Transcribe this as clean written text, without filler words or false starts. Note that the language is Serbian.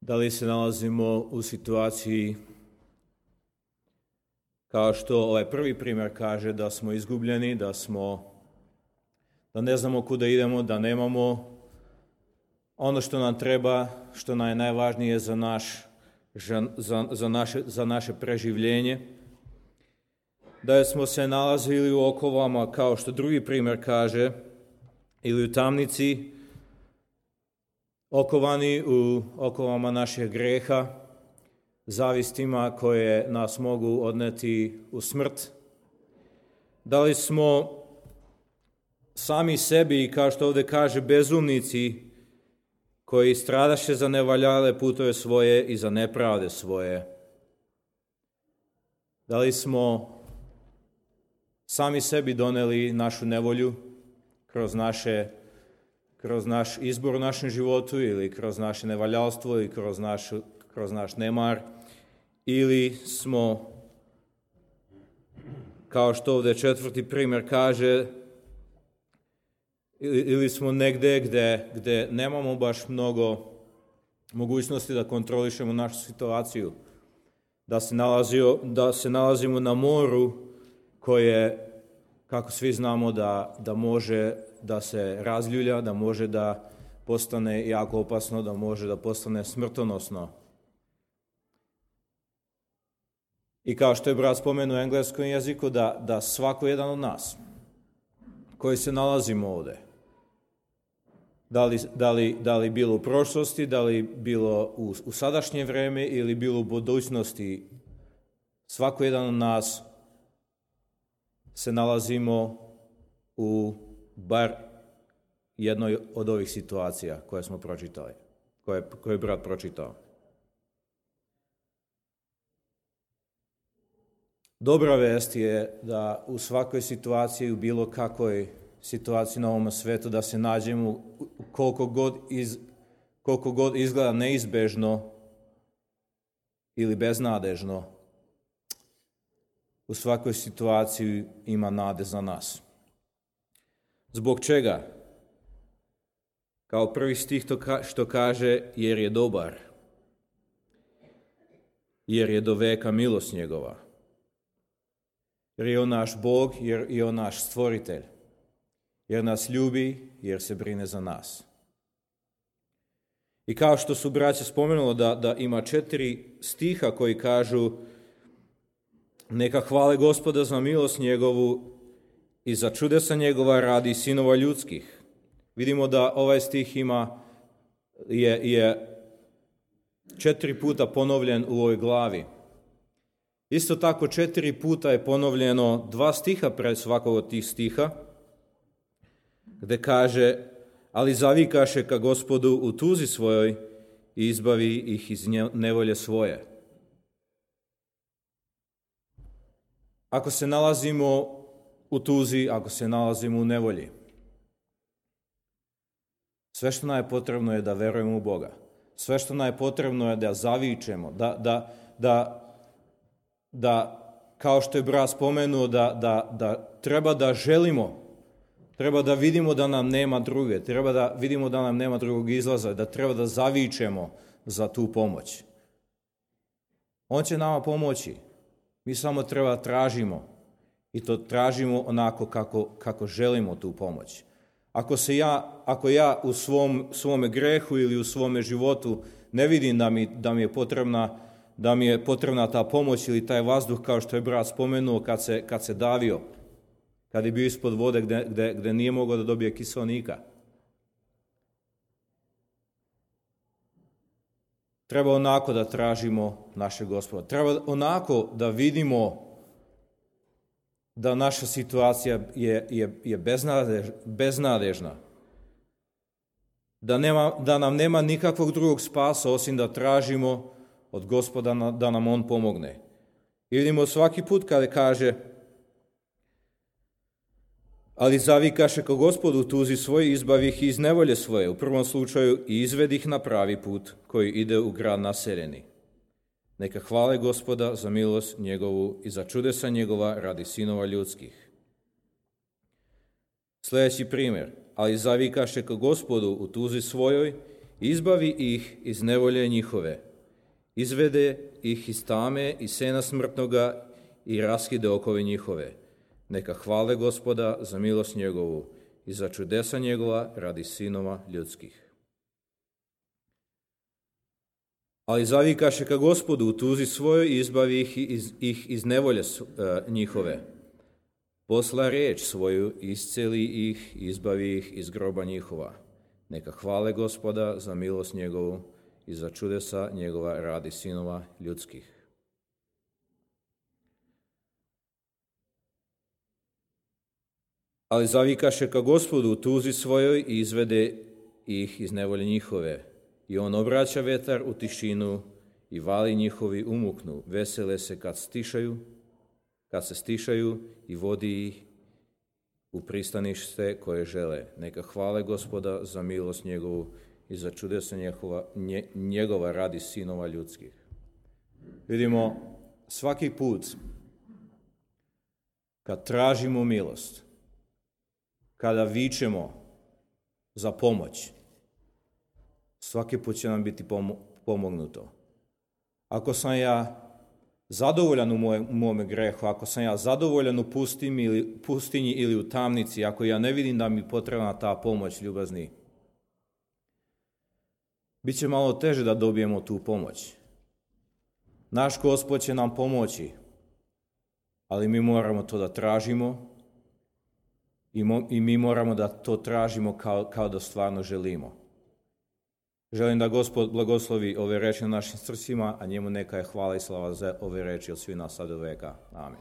Da li se nalazimo u situaciji kao što ovaj prvi primjer kaže, da smo izgubljeni, da ne znamo kuda idemo, da nemamo ono što nam treba, što nam je najvažnije za naše preživljenje, da smo se nalazili u okovama, kao što drugi primjer kaže, ili u tamnici, okovani u okovama naših greha, zavistima koje nas mogu odneti u smrt. Da li smo sami sebi, kao što ovdje kaže, bezumnici koji stradaše za nevaljale putove svoje i za nepravde svoje? Da li smo sami sebi doneli našu nevolju kroz naš izbor u našem životu ili kroz naše nevaljalstvo ili kroz naš nemar, ili smo, kao što ovdje četvrti primjer kaže, ili smo negdje gdje nemamo baš mnogo mogućnosti da kontrolišemo našu situaciju, da se nalazimo na moru koje, kako svi znamo, da može da se razljulja, da može da postane jako opasno, da može da postane smrtonosno. I kao što je brat spomenuo u engleskom jeziku, da svako jedan od nas koji se nalazimo ovdje, da li bilo u prošlosti, da li bilo u sadašnje vrijeme ili bilo u budućnosti, svako jedan od nas se nalazimo u bar jednoj od ovih situacija koje smo pročitali, koje je brat pročitao. Dobra vest je da u svakoj situaciji, u bilo kakvoj situaciji na ovom svijetu, da se nađemo koliko god izgleda neizbežno ili beznadežno, u svakoj situaciji ima nade za nas. Zbog čega? Kao prvi stih što kaže, jer je dobar, jer je do veka milost njegova, jer je on naš Bog, jer je on naš stvoritelj, jer nas ljubi, jer se brine za nas. I kao što su braća spomenuli da ima 4 stiha koji kažu neka hvale Gospoda za milost njegovu i za čudesa njegova radi sinova ljudskih. Vidimo da ovaj stih je 4 puta ponovljen u ovoj glavi. Isto tako 4 puta je ponovljeno 2 stiha pred svakog od tih stiha, gdje kaže, ali zavikaše ka Gospodu u tuzi svojoj i izbavi ih iz nevolje svoje. Ako se nalazimo u tuzi, ako se nalazimo u nevolji, sve što nam je potrebno je da verujemo u Boga. Sve što nam je potrebno je da zavičemo, da kao što je brat spomenuo, da treba da želimo, treba da vidimo da nam nema druge, treba da vidimo da nam nema drugog izlaza, da treba da zavičemo za tu pomoć. On će nama pomoći. Mi samo treba tražimo i to tražimo onako kako želimo tu pomoć. Ako ja u svome grehu ili u svome životu ne vidim da mi je potrebna ta pomoć ili taj vazduh, kao što je brat spomenuo, kad se davio, kad je bio ispod vode gdje nije mogao da dobije kiselnika. Treba onako da tražimo našeg Gospoda. Treba onako da vidimo da naša situacija je beznadežna. Da nam nema nikakvog drugog spasa osim da tražimo od Gospoda da nam On pomogne. I vidimo svaki put kada kaže, ali zavikaše ka Gospodu tuzi svoj, izbavi ih iz nevolje svoje, u prvom slučaju i izvedi ih na pravi put koji ide u grad naseljeni. Neka hvale Gospoda za milost njegovu i za čudesa njegova radi sinova ljudskih. Sljedeći primjer, ali zavikaše ka Gospodu u tuzi svojoj, Izbavi ih iz nevolje njihove, izvede ih iz tame i sena smrtnoga i raskide okove njihove. Neka hvale Gospoda za milost njegovu i za čudesa njegova radi sinova ljudskih. Ali zavikaše ka Gospodu u tuzi svojoj i izbavi ih iz nevolje njihove. Posla reč svoju, isceli ih, izbavi ih iz groba njihova. Neka hvale Gospoda za milost njegovu i za čudesa njegova radi sinova ljudskih. Ali zavikaše ka Gospodu u tuzi svojoj i izvede ih iz nevolje njihove. I on obraća vetar u tišinu i vali njihovi umuknu. Vesele se kad se stišaju i vodi ih u pristanište koje žele. Neka hvale Gospoda za milost njegovu i za čudesa njegova radi sinova ljudskih. Vidimo, svaki put kad tražimo milost, kada vičemo za pomoć, svaki put će nam biti pomognuto. Ako sam ja zadovoljan u mome grehu, ako sam ja zadovoljan u pustinji ili u tamnici, ako ja ne vidim da mi potrebna ta pomoć, ljubazni, bit će malo teže da dobijemo tu pomoć. Naš Gospod će nam pomoći, ali mi moramo to da tražimo i mi moramo da to tražimo kao da stvarno želimo. Želim da Gospod blagoslovi ove reči na našim srcima, a njemu neka je hvala i slava za ove reči od svih nas sad do veka. Amen.